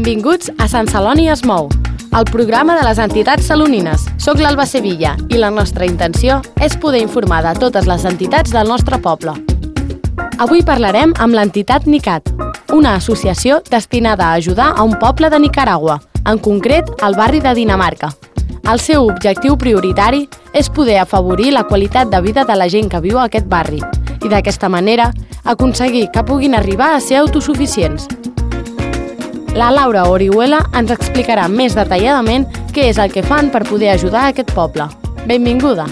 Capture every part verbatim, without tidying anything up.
Benvinguts a Sant Celoni es mou, el programa de les entitats salonines. Soc l'Alba Sevilla i la nostra intenció és poder informar de totes les entitats del nostre poble. Avui parlarem amb l'entitat NICAT, una associació destinada a ajudar a un poble de Nicaragua, en concret al barri de Dinamarca. El seu objectiu prioritari és poder afavorir la qualitat de vida de la gent que viu a aquest barri i d'aquesta manera aconseguir que puguin arribar a ser autosuficients. La Laura Orihuela ens explicarà més detalladament què és el que fan per poder ajudar a aquest poble. Benvinguda!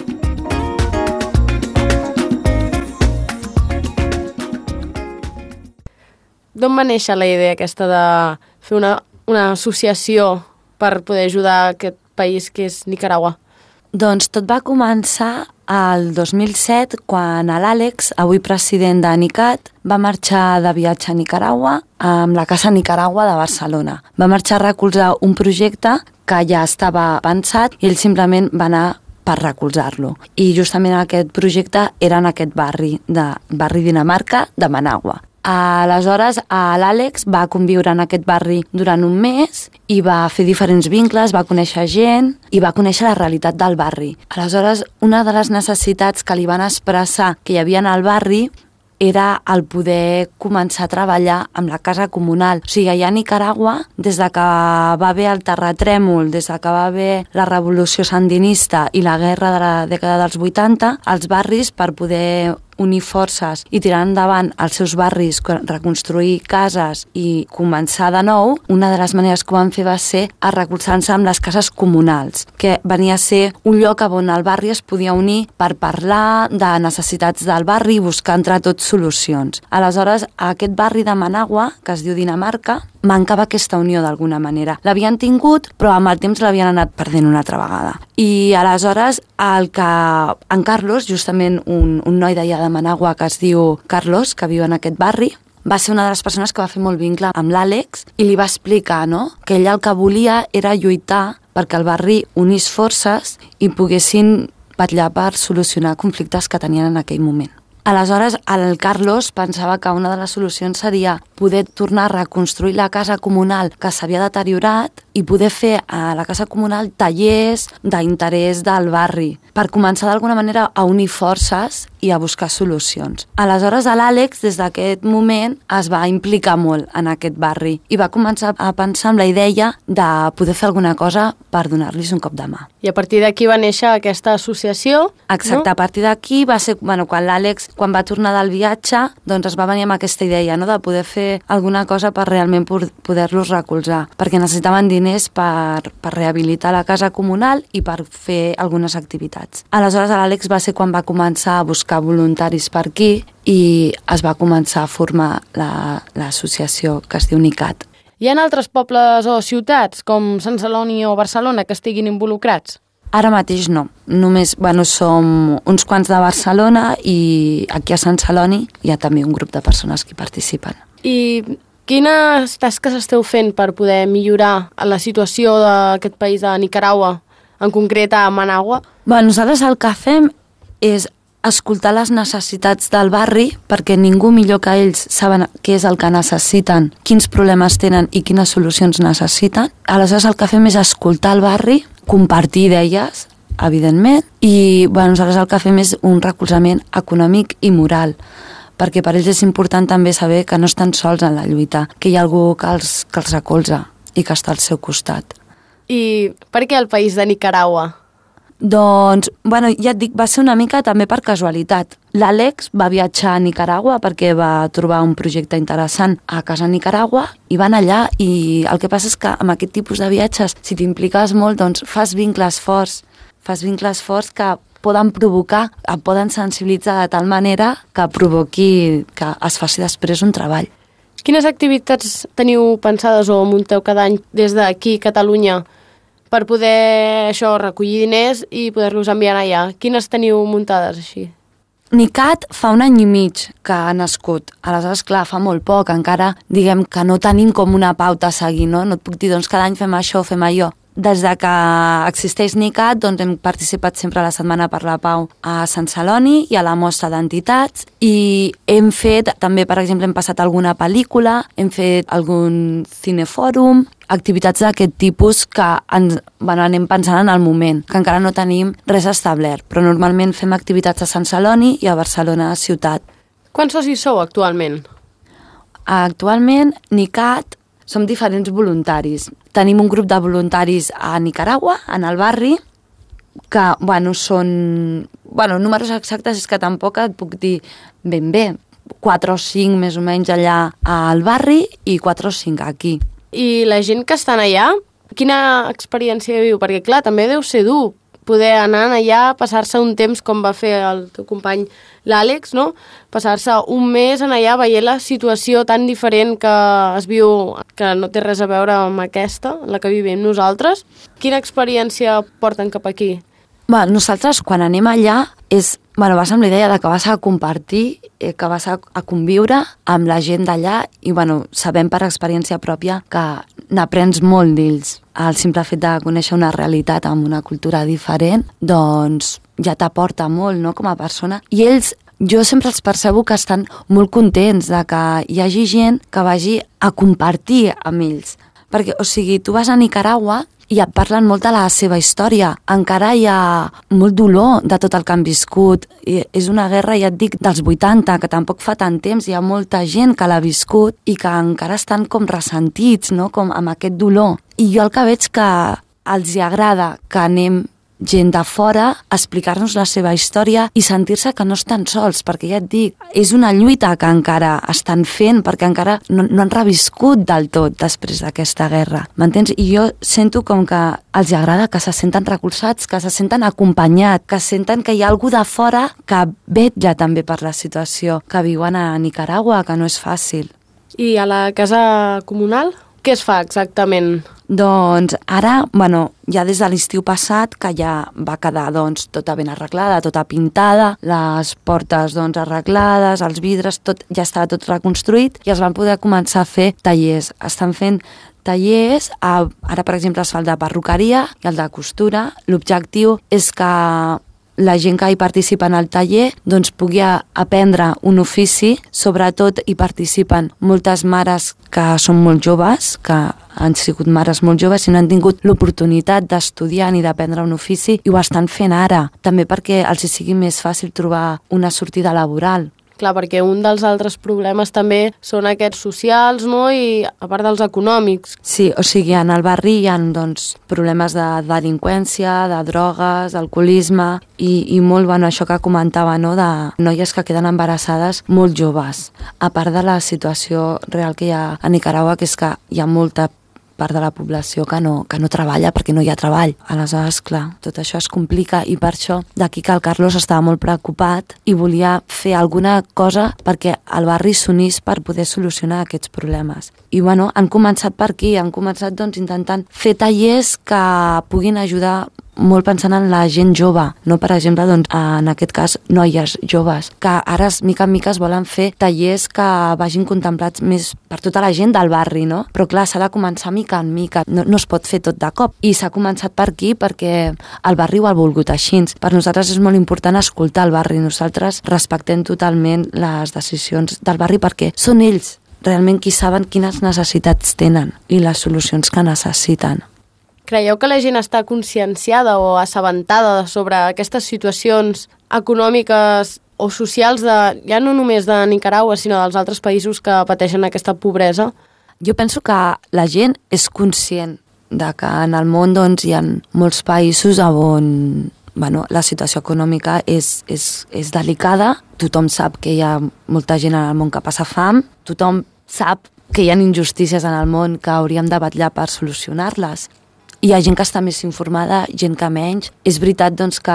D'on va néixer la idea aquesta de fer una, una associació per poder ajudar a aquest país que és Nicaragua? Doncs tot va començar el dos mil set, quan l'Àlex, avui president de NICAT, va marxar de viatge a Nicaragua amb la Casa Nicaragua de Barcelona. Va marxar a recolzar un projecte que ja estava pensat i ell simplement va anar per recolzar-lo. I justament aquest projecte era en aquest barri, de barri Dinamarca de Managua. Aleshores, l'Àlex va conviure en aquest barri durant un mes i va fer diferents vincles, va conèixer gent i va conèixer la realitat del barri. Aleshores, una de les necessitats que li van expressar que hi havia al barri era el poder començar a treballar amb la casa comunal. O sigui, allà a Nicaragua, des de que va haver el terratrèmol, des de que va haver la revolució sandinista i la guerra de la dècada dels vuitanta, els barris, per poder unir forces i tirar endavant els seus barris, reconstruir cases i començar de nou, una de les maneres que ho van fer va ser a recolzar-se amb les cases comunals, que venia a ser un lloc on el barri es podia unir per parlar de necessitats del barri i buscar entre tots solucions. Aleshores, a aquest barri de Managua, que es diu Dinamarca, mancava aquesta unió d'alguna manera. L'havien tingut, però amb el temps l'havien anat perdent una altra vegada. I aleshores, el que en Carlos, justament un, un noi d'allà de Managua que es diu Carlos, que viu en aquest barri, va ser una de les persones que va fer molt vincle amb l'Àlex i li va explicar, no?, que ella el que volia era lluitar perquè el barri unís forces i poguessin vetllar per solucionar conflictes que tenien en aquell moment. Aleshores, el Carlos pensava que una de les solucions seria poder tornar a reconstruir la casa comunal que s'havia deteriorat i poder fer a la casa comunal tallers d'interès del barri per començar d'alguna manera a unir forces i a buscar solucions. Aleshores, l'Àlex, des d'aquest moment, es va implicar molt en aquest barri i va començar a pensar en la idea de poder fer alguna cosa per donar-los un cop de mà. I a partir d'aquí va néixer aquesta associació, Exacte, no? A partir d'aquí va ser, bueno, quan l'Àlex, quan va tornar del viatge, doncs es va venir amb aquesta idea, no?, de poder fer alguna cosa per realment poder-los recolzar, perquè necessitaven diners per, per rehabilitar la casa comunal i per fer algunes activitats. Aleshores, l'Àlex va ser quan va començar a buscar voluntaris per aquí i es va començar a formar l'associació la, que es diu NICAT. Hi ha altres pobles o ciutats, com Sant Celoni o Barcelona, que estiguin involucrats? Ara mateix no. Només, bueno, som uns quants de Barcelona i aquí a Sant Celoni hi ha també un grup de persones que hi participen. I quines tasques esteu fent per poder millorar la situació d'aquest país de Nicaragua, en concret a Managua? Bueno, nosaltres el que fem és escoltar les necessitats del barri perquè ningú millor que ells saben què és el que necessiten, quins problemes tenen i quines solucions necessiten. Aleshores el que fem és escoltar el barri, compartir idees, evidentment, i bueno, nosaltres el que fem és un recolzament econòmic i moral, perquè per ells és important també saber que no estan sols en la lluita, que hi ha algú que els, que els recolza i que està al seu costat. I per què el país de Nicaragua? Doncs, bueno, ja et dic, va ser una mica també per casualitat. L'Àlex va viatjar a Nicaragua perquè va trobar un projecte interessant a casa Nicaragua i van allà, i el que passa és que amb aquest tipus de viatges, si t'impliques molt, doncs fas vincles forts, fas vincles forts que poden provocar, et poden sensibilitzar de tal manera que provoqui que es faci després un treball. Quines activitats teniu pensades o munteu cada any des d'aquí, Catalunya, per poder això recollir diners i poder-los enviar allà? Quines teniu muntades així? NICAT fa un any i mig que ha nascut. Aleshores, clar, fa molt poc. Encara diguem que no tenim com una pauta a seguir, no? No et puc dir, doncs, cada any fem això o fem allò. Des de que existeix NICAT, doncs hem participat sempre a la Setmana per la Pau a Sant Celoni i a la Mostra d'Entitats, i hem fet, també, per exemple, hem passat alguna pel·lícula, hem fet algun cinefòrum, activitats d'aquest tipus que ens, bueno, anem pensant en el moment, que encara no tenim res establert, però normalment fem activitats a Sant Celoni i a Barcelona ciutat. Quants socis sou actualment? Actualment, NICAT, som diferents voluntaris. Tenim un grup de voluntaris a Nicaragua, en el barri, que, bueno, són... Bueno, números exactes és que tampoc et puc dir ben bé. quatre o cinc més o menys allà al barri i quatre o cinc aquí. I la gent que estan allà, quina experiència viu? Perquè, clar, també deu ser dur poder anar allà, passar-se un temps com va fer el teu company l'Àlex, no? Passar-se un mes en allà veient la situació tan diferent que es viu, que no té res a veure amb aquesta, la que vivim nosaltres. Quina experiència porten cap aquí? Bé, nosaltres, quan anem allà, és, bueno, vas amb la idea de que vas a compartir, eh, que vas a, a conviure amb la gent d'allà i, bueno, sabem per experiència pròpia que n'aprens molt d'ells. El simple fet de conèixer una realitat amb una cultura diferent, doncs ja t'aporta molt, no?, com a persona. I ells, jo sempre els percebo que estan molt contents de que hi hagi gent que vagi a compartir amb ells. Perquè, o sigui, tu vas a Nicaragua i et parlen molt de la seva història. Encara hi ha molt dolor de tot el que han viscut. I és una guerra, ja et dic, dels vuitanta, que tampoc fa tant temps. Hi ha molta gent que l'ha viscut i que encara estan com ressentits, no?, com amb aquest dolor. I jo el que veig que els hi agrada que anem gent de fora a explicar-nos la seva història i sentir-se que no estan sols, perquè ja et dic, és una lluita que encara estan fent, perquè encara no, no han reviscut del tot després d'aquesta guerra, m'entens? I jo sento com que els agrada que se senten recolzats, que se senten acompanyats, que senten que hi ha algú de fora que vetlla també per la situació que viuen a Nicaragua, que no és fàcil. I a la casa comunal? Què es fa exactament? Doncs ara, bueno, ja des de l'estiu passat, que ja va quedar doncs, tota ben arreglada, tota pintada, les portes doncs, arreglades, els vidres, tot, ja estava tot reconstruït i es van poder començar a fer tallers. Estan fent tallers, a, ara per exemple es fa el de perruqueria i el de costura. L'objectiu és que la gent que hi participa en el taller doncs, pugui aprendre un ofici, sobretot hi participen moltes mares que són molt joves, que han sigut mares molt joves i no han tingut l'oportunitat d'estudiar ni d'aprendre un ofici i ho estan fent ara, també perquè els sigui més fàcil trobar una sortida laboral. Clar, perquè un dels altres problemes també són aquests socials, no?, i a part dels econòmics. Sí, o sigui, en el barri hi ha doncs, problemes de delinqüència, de drogues, d'alcoholisme i, i molt, bueno, això que comentava, no?, de noies que queden embarassades molt joves. A part de la situació real que hi ha a Nicaragua, que és que hi ha molta part de la població que no, que no treballa perquè no hi ha treball. Aleshores, clar, tot això es complica i per això d'aquí que el Carlos estava molt preocupat i volia fer alguna cosa perquè el barri s'unís per poder solucionar aquests problemes. I bueno, han començat per aquí, han començat doncs intentant fer tallers que puguin ajudar molt pensant en la gent jove, no per exemple doncs, en aquest cas noies joves, que ara mica en mica es volen fer tallers que vagin contemplats més per tota la gent del barri, no? Però clar, s'ha de començar mica en mica, no, no es pot fer tot de cop. I s'ha començat per aquí perquè el barri ho ha volgut així. Per nosaltres és molt important escoltar el barri, nosaltres respectem totalment les decisions del barri perquè són ells realment qui saben quines necessitats tenen i les solucions que necessiten. Creieu que la gent està conscienciada o assabentada sobre aquestes situacions econòmiques o socials de, ja no només de Nicaragua, sinó dels altres països que pateixen aquesta pobresa? Jo penso que la gent és conscient de que en el món doncs, hi ha molts països on bueno, la situació econòmica és, és, és delicada. Tothom sap que hi ha molta gent en el món que passa fam, tothom sap que hi ha injustícies en el món que hauríem de vetllar per solucionar-les. Hi ha gent que està més informada, gent que menys. És veritat doncs, que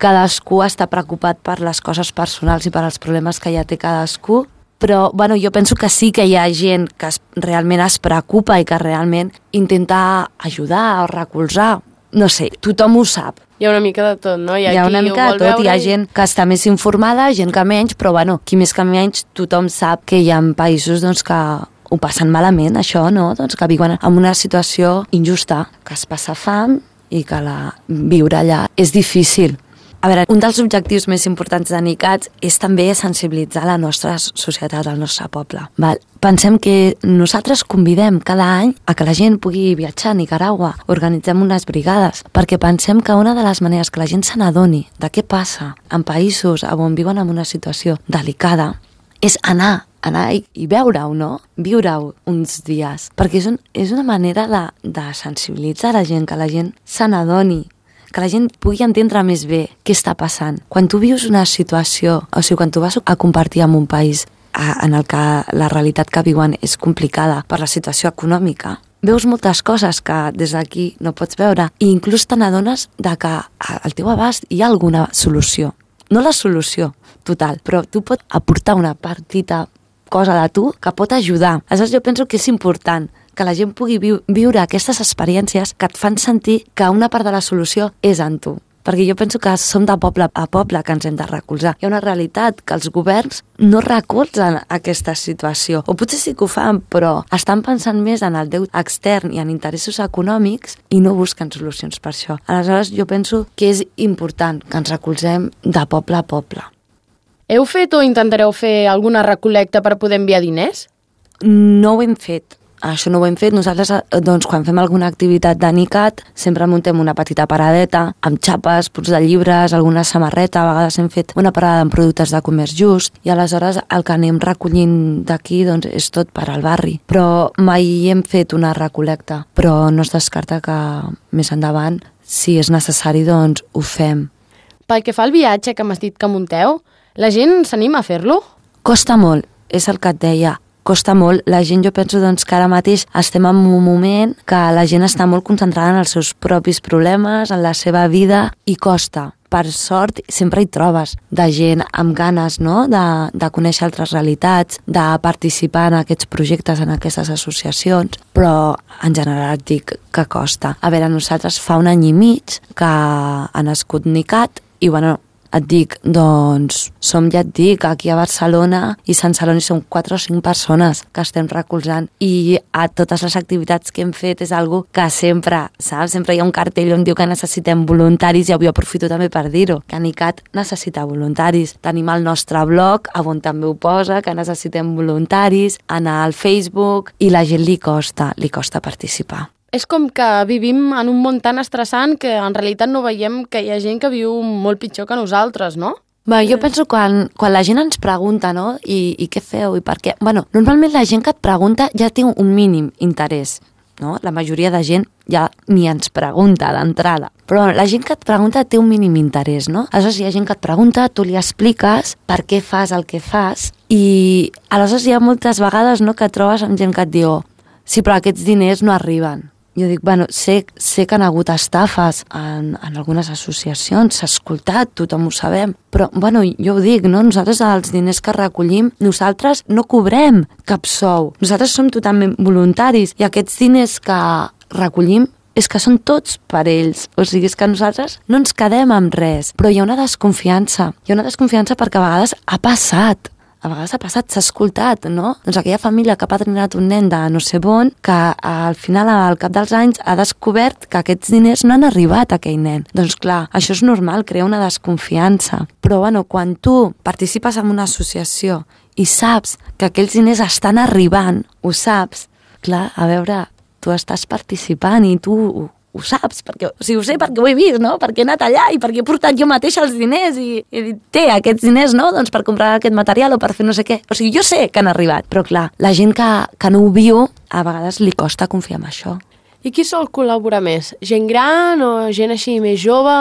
cadascú està preocupat per les coses personals i per els problemes que ja té cadascú, però bueno, jo penso que sí que hi ha gent que es, realment es preocupa i que realment intenta ajudar o recolzar. No sé, tothom ho sap. Hi ha una mica de tot, no? Hi ha, hi ha una mica de tot, veure... hi ha gent que està més informada, gent que menys, però bueno, qui més que menys, tothom sap que hi ha països doncs, que ho passen malament, això, no? Doncs que viuen en una situació injusta, que es passa fam i que la... viure allà és difícil. A veure, un dels objectius més importants de NICAT és també sensibilitzar la nostra societat, el nostre poble. Val? Pensem que nosaltres convidem cada any a que la gent pugui viatjar a Nicaragua, organitzem unes brigades, perquè pensem que una de les maneres que la gent se n'adoni de què passa en països on viuen en una situació delicada és anar anar i, i veure-ho, no? Viure-ho uns dies. Perquè és, un, és una manera de, de sensibilitzar la gent, que la gent se n'adoni, que la gent pugui entendre més bé què està passant. Quan tu vius una situació, o sigui, quan tu vas a compartir amb un país a, en el que la realitat que viuen és complicada per la situació econòmica, veus moltes coses que des d'aquí no pots veure i inclús te n'adones de que al teu abast hi ha alguna solució. No la solució total, però tu pots aportar una petita cosa de tu que pot ajudar. Aleshores jo penso que és important que la gent pugui viu, viure aquestes experiències que et fan sentir que una part de la solució és en tu. Perquè jo penso que som de poble a poble que ens hem de recolzar. Hi ha una realitat que els governs no recolzen aquesta situació. O potser sí que ho fan, però estan pensant més en el deute extern i en interessos econòmics i no busquen solucions per això. Aleshores jo penso que és important que ens recolzem de poble a poble. Heu fet o intentareu fer alguna recol·lecta per poder enviar diners? No ho hem fet. Això no ho hem fet. Nosaltres, doncs, quan fem alguna activitat de NICAT, sempre muntem una petita paradeta amb xapes, punts de llibres, alguna samarreta. A vegades hem fet una parada amb productes de comerç just i aleshores el que anem recollint d'aquí doncs, és tot per al barri. Però mai hem fet una recol·lecta. Però no es descarta que més endavant, si és necessari, doncs ho fem. Pel que fa al viatge que m'has dit que munteu, la gent s'anima a fer-lo? Costa molt, és el que et deia. Costa molt. La gent, jo penso doncs, que ara mateix estem en un moment que la gent està molt concentrada en els seus propis problemes, en la seva vida, i costa. Per sort, sempre hi trobes de gent amb ganes, no?, de, de conèixer altres realitats, de participar en aquests projectes, en aquestes associacions, però en general et dic que costa. A veure, nosaltres fa un any i mig que ha nascut NICAT i, bueno, et dic, doncs, som, ja et dic, aquí a Barcelona i Sant Celoni som quatre o cinc persones que estem recolzant i a totes les activitats que hem fet és algo que sempre, saps? Sempre hi ha un cartell on diu que necessitem voluntaris i avui aprofito també per dir-ho, que NICAT necessita voluntaris. Tenim el nostre blog, on també ho posa, que necessitem voluntaris, anar al Facebook i la gent li costa, li costa participar. És com que vivim en un món tan estressant que en realitat no veiem que hi ha gent que viu molt pitjor que nosaltres, no? Bé, jo penso quan, quan la gent ens pregunta, no?, i, i què feu i per què... Bueno, normalment la gent que et pregunta ja té un mínim interès, no? La majoria de gent ja ni ens pregunta d'entrada. Però la gent que et pregunta té un mínim interès, no? Aleshores hi ha gent que et pregunta, tu li expliques per què fas el que fas i aleshores hi ha moltes vegades, no?, que et trobes amb gent que et diu sí, però aquests diners no arriben. Jo dic, bueno, sé, sé que han hagut estafes en, en algunes associacions, s'ha escoltat, tothom ho sabem, però, bueno, jo ho dic, no? Nosaltres els diners que recollim, nosaltres no cobrem cap sou, nosaltres som totalment voluntaris i aquests diners que recollim és que són tots per ells, o sigui, és que nosaltres no ens quedem amb res, però hi ha una desconfiança, hi ha una desconfiança perquè a vegades ha passat, a vegades ha passat, s'ha escoltat, no? Doncs aquella família que ha patrinat un nen de no sé on, que al final, al cap dels anys, ha descobert que aquests diners no han arribat a aquell nen. Doncs clar, això és normal, crea una desconfiança. Però, bueno, quan tu participes en una associació i saps que aquells diners estan arribant, ho saps, clar, a veure, tu estàs participant i tu ho saps, perquè, o sigui, ho sé perquè ho he vist, no? Perquè he anat allà i perquè he portat jo mateix els diners i he dit, té, aquests diners, no?, doncs per comprar aquest material o per fer no sé què. O sigui, jo sé que han arribat, però clar, la gent que, que no ho viu, a vegades li costa confiar en això. I qui sol col·laborar més? Gent gran o gent així més jove?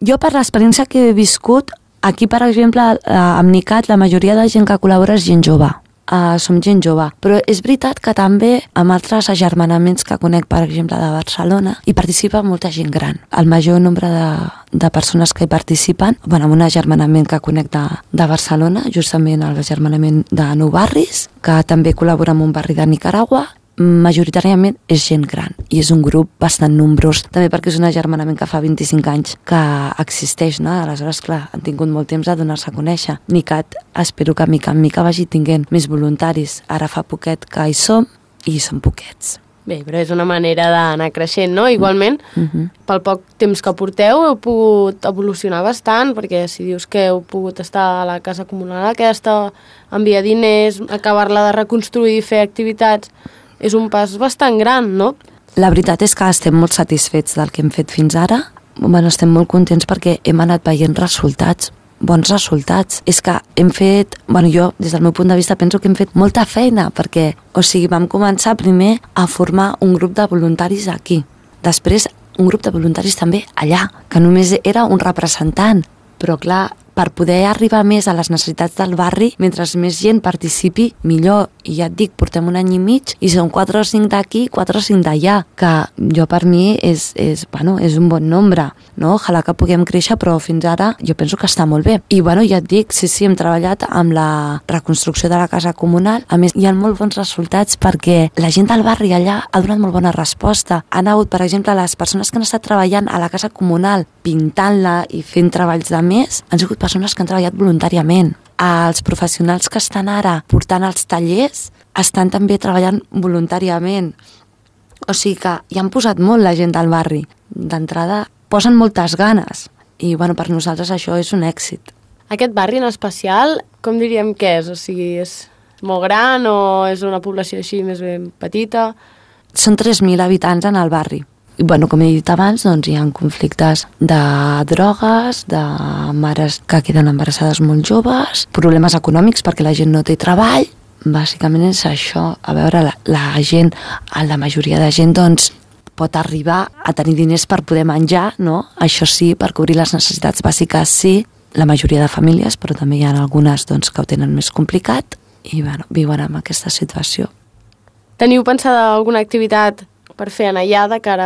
Jo, per l'experiència que he viscut, aquí, per exemple, amb NICAT, la majoria de gent que col·labora és gent jove. Uh, som gent jove, però és veritat que també amb altres agermanaments que conec, per exemple, de Barcelona, hi participa molta gent gran. El major nombre de, de persones que hi participen, bueno, amb un agermanament que conec de, de Barcelona, justament l'agermanament de Nou Barris, que també col·labora amb un barri de Nicaragua, majoritàriament és gent gran i és un grup bastant nombrós, també perquè és un agermanament que fa vint-i-cinc anys que existeix, no? Aleshores, clar, han tingut molt temps de donar-se a conèixer. NICAT, espero que mica en mica vagi tinguent més voluntaris. Ara fa poquet que hi som i som poquets. Bé, però és una manera d'anar creixent, no? Igualment, uh-huh. pel poc temps que porteu heu pogut evolucionar bastant, perquè si dius que heu pogut estar a la casa comunal aquesta, enviar diners, acabar-la de reconstruir, fer activitats, és un pas bastant gran, no? La veritat és que estem molt satisfets del que hem fet fins ara. Bueno, estem molt contents perquè hem anat veient resultats, bons resultats. És que hem fet, bueno, jo des del meu punt de vista penso que hem fet molta feina perquè, o sigui, vam començar primer a formar un grup de voluntaris aquí. Després un grup de voluntaris també allà, que només era un representant. Però clar, per poder arribar més a les necessitats del barri, mentre més gent participi, millor. I ja et dic, portem un any i mig i són quatre o cinc d'aquí, quatre o cinc d'allà, que jo per mi és, és, bueno, és un bon nombre, no? Ojalà que puguem créixer, però fins ara jo penso que està molt bé. I bueno, ja et dic, sí, sí, hem treballat amb la reconstrucció de la casa comunal. A més, hi ha molt bons resultats perquè la gent del barri allà ha donat molt bona resposta. Han hagut, per exemple, les persones que han estat treballant a la casa comunal, pintant-la i fent treballs de més, han sigut persones que han treballat voluntàriament. Els professionals que estan ara portant els tallers estan també treballant voluntàriament. O sigui que hi han posat molt la gent del barri. D'entrada posen moltes ganes i bueno, per nosaltres això és un èxit. Aquest barri en especial, com diríem que és? O sigui, és molt gran o és una població així més ben petita? Són tres mil habitants en el barri. I, bueno, com he dit abans, doncs, hi ha conflictes de drogues, de mares que queden embarassades molt joves, problemes econòmics perquè la gent no té treball. Bàsicament és això. A veure, la, la gent, la majoria de gent, doncs, pot arribar a tenir diners per poder menjar, no? Això sí, per cobrir les necessitats bàsiques sí, la majoria de famílies, però també hi ha algunes doncs, que ho tenen més complicat i bueno, viuen amb aquesta situació. Teniu pensada alguna activitat per fer en allà de cara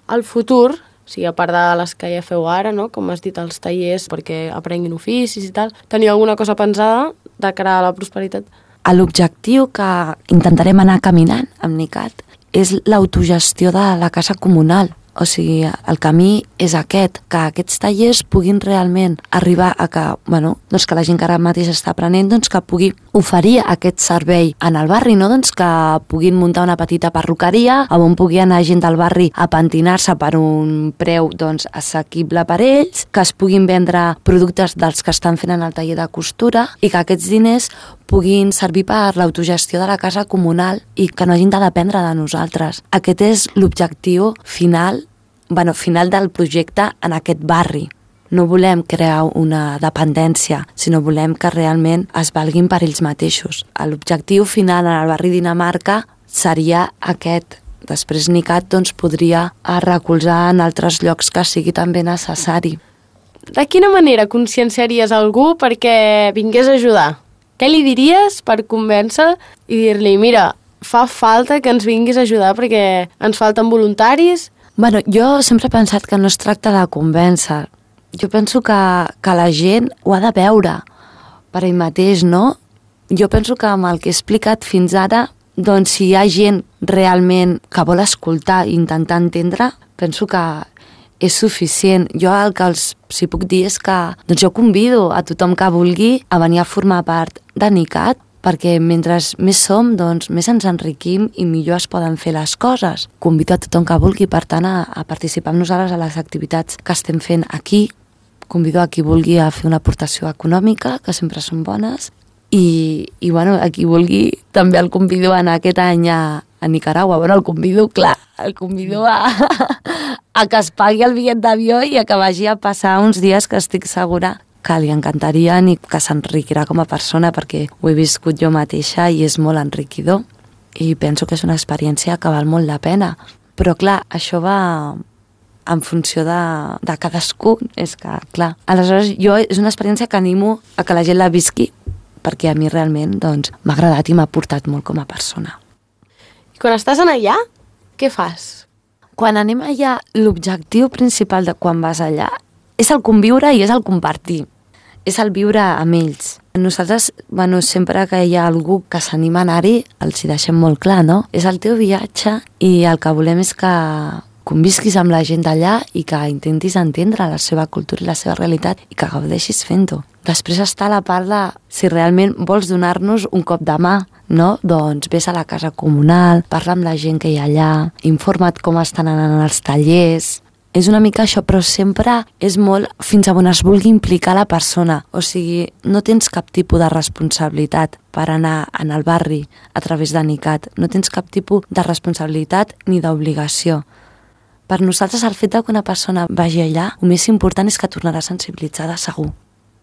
al futur, o sigui, a part de les que ja feu ara, no? Com has dit, els tallers perquè aprenguin oficis i tal, teniu alguna cosa pensada de cara a la prosperitat? L'objectiu que intentarem anar caminant amb NICAT és l'autogestió de la casa comunal. O sigui, el camí és aquest, que aquests tallers puguin realment arribar a que, bueno, doncs que la gent que ara mateix està aprenent doncs que pugui oferir aquest servei en el barri, no? Doncs que puguin muntar una petita perruqueria on pugui anar gent del barri a pentinar-se per un preu doncs, assequible per ells, que es puguin vendre productes dels que estan fent en el taller de costura i que aquests diners puguin servir per l'autogestió de la casa comunal i que no hagin de dependre de nosaltres. Aquest és l'objectiu final, bueno, final del projecte en aquest barri. No volem crear una dependència, sinó volem que realment es valguin per ells mateixos. L'objectiu final en el barri Dinamarca seria aquest. Després NICAT doncs, podria recolzar en altres llocs que sigui també necessari. De quina manera conscienciaries algú perquè vingués a ajudar? Què li diries per convèncer i dir-li, mira, fa falta que ens vinguis a ajudar perquè ens falten voluntaris? Bueno, jo sempre he pensat que no es tracta de convèncer. Jo penso que, que la gent ho ha de veure per ell mateix, no? Jo penso que amb el que he explicat fins ara, doncs si hi ha gent realment que vol escoltar i intentar entendre, penso que és suficient. Jo el que els si puc dir és que doncs jo convido a tothom que vulgui a venir a formar part de NICAT, perquè mentre més som, doncs més ens enriquim i millor es poden fer les coses. Convido a tothom que vulgui, per tant, a, a participar amb nosaltres a les activitats que estem fent aquí. Convido a qui vulgui a fer una aportació econòmica, que sempre són bones, i, i bueno, a qui vulgui també el convido a anar aquest any a, a Nicaragua. Bueno, el convido, clar, el convido a, a que es pagui el bitllet d'avió i a que vagi a passar uns dies que estic segura que li encantarien i que s'enriquirà com a persona, perquè ho he viscut jo mateixa i és molt enriquidor i penso que és una experiència que val molt la pena. Però clar, això va en funció de, de cadascú, és que clar. Aleshores jo és una experiència que animo a que la gent la visqui, perquè a mi realment doncs, m'ha agradat i m'ha portat molt com a persona. I quan estàs en allà, què fas? Quan anem allà, l'objectiu principal de quan vas allà és el conviure i és el compartir. És el viure amb ells. Nosaltres, bueno, sempre que hi ha algú que s'anima a anar-hi, els hi deixem molt clar, no? És el teu viatge i el que volem és que convisquis amb la gent d'allà i que intentis entendre la seva cultura i la seva realitat i que gaudeixis fent-ho. Després està la part de si realment vols donar-nos un cop de mà, no? Doncs vés a la casa comunal, parla amb la gent que hi ha allà, informa't com estan anant els tallers. És una mica això, però sempre és molt fins a on es vulgui implicar la persona. O sigui, no tens cap tipus de responsabilitat per anar en el barri a través de NICAT. No tens cap tipus de responsabilitat ni d'obligació. Per nosaltres, el fet que una persona vagi allà, el més important és que tornarà sensibilitzada segur.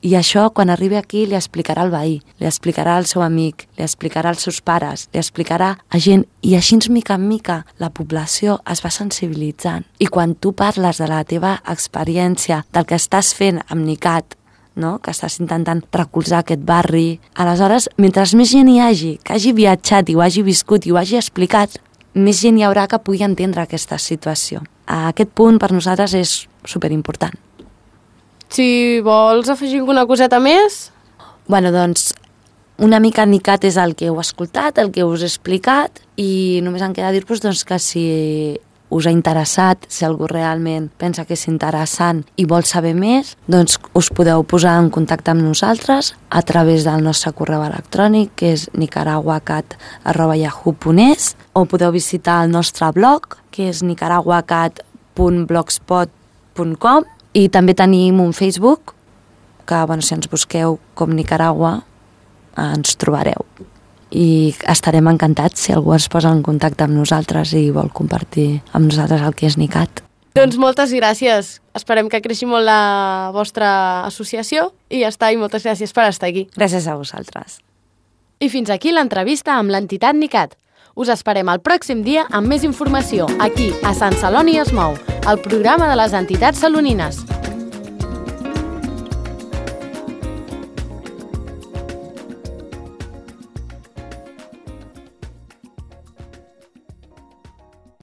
I això, quan arribi aquí, li explicarà al veí, li explicarà al seu amic, li explicarà als seus pares, li explicarà a gent, i així, mica en mica, la població es va sensibilitzant. I quan tu parles de la teva experiència, del que estàs fent amb NICAT, no? Que estàs intentant recolzar aquest barri, aleshores, mentre més gent hi hagi, que hagi viatjat i ho hagi viscut i ho hagi explicat, més gent hi haurà que pugui entendre aquesta situació. A aquest punt, per nosaltres, és superimportant. Si vols afegir alguna coseta més? Bueno, doncs, una mica NICAT és el que heu escoltat, el que us he explicat, i només em queda dir-vos doncs, que si us ha interessat, si algú realment pensa que és interessant i vol saber més, doncs us podeu posar en contacte amb nosaltres a través del nostre correu electrònic, que és nicaraguacat arroba yahoo punt es, o podeu visitar el nostre blog, que és nicaraguacat punt blogspot punt com, i també tenim un Facebook, que bueno, si ens busqueu com Nicaragua, ens trobareu. I estarem encantats si algú es posa en contacte amb nosaltres i vol compartir amb nosaltres el que és NICAT. Doncs moltes gràcies. Esperem que creixi molt la vostra associació i ja està, i moltes gràcies per estar aquí. Gràcies a vosaltres. I fins aquí l'entrevista amb l'entitat NICAT. Us esperem el pròxim dia amb més informació aquí, a Sant Celoni es mou, el programa de les entitats salonines.